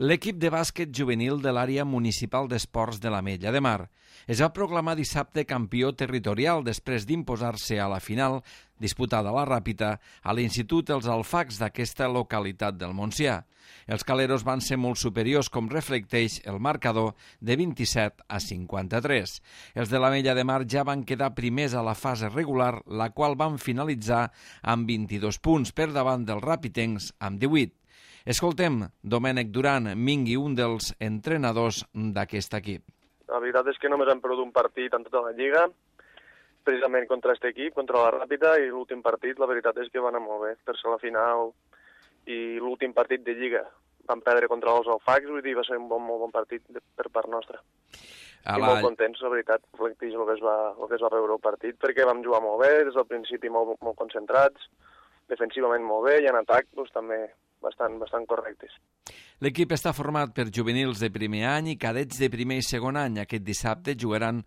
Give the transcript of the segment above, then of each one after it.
L'equip de bàsquet juvenil de l'àrea municipal d'esports de l'Ametlla de Mar es va proclamar dissabte campió territorial després d'imposar-se a la final disputada a la Ràpita a l'Institut Els Alfacs d'aquesta localitat del Montsià. Els caleros van ser molt superiors, com reflecteix el marcador de 27 a 53. Els de l'Ametlla de Mar ja van quedar primers a la fase regular, la qual van finalitzar amb 22 punts per davant dels ràpitencs amb 18. Escoltem Domènec Duran, Mingui, un dels entrenadors d'aquest equip. La veritat és que només hem perdut un partit en tota la Lliga, precisament contra aquest equip, contra la Ràpita, i l'últim partit, la veritat és que va anar molt bé, per ser la final i l'últim partit de Lliga. Vam perdre contra els Alfacs, vull dir, va ser un molt bon partit per part nostra. I molt contents, la veritat, reflecteix el que es va veure el partit, perquè vam jugar molt bé, des del principi molt concentrats, defensivament molt bé, i en atac doncs, també bastant correctes. L'equip està format per juvenils de primer any i cadets de primer i segon any. Aquest dissabte jugaran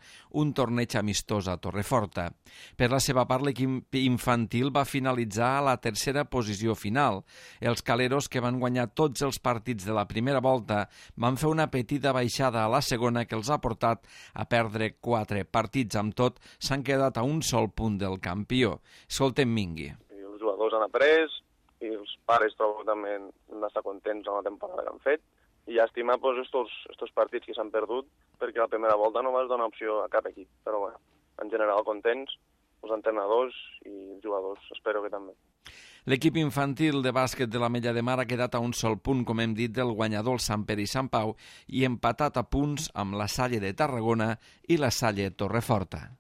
un torneig amistós a Torreforta. Per la seva part, l'equip infantil va finalitzar a la tercera posició final. Els caleros, que van guanyar tots els partits de la primera volta, van fer una petita baixada a la segona que els ha portat a perdre 4 partits. Amb tot, s'han quedat a un sol punt del campió. Escoltem Mingui. Els jugadors han après, i els pares trobo també han d'estar contents amb la temporada que han fet, i llàstima estos partits que s'han perdut, perquè la primera volta no vas donar opció a cap equip, però bueno, en general contents, els entrenadors i els jugadors, espero que també. L'equip infantil de bàsquet de l'Ametlla de Mar ha quedat a un sol punt, com hem dit, del guanyador Sant Pere i Sant Pau, i empatat a punts amb la Salle de Tarragona i la Salle Torreforta.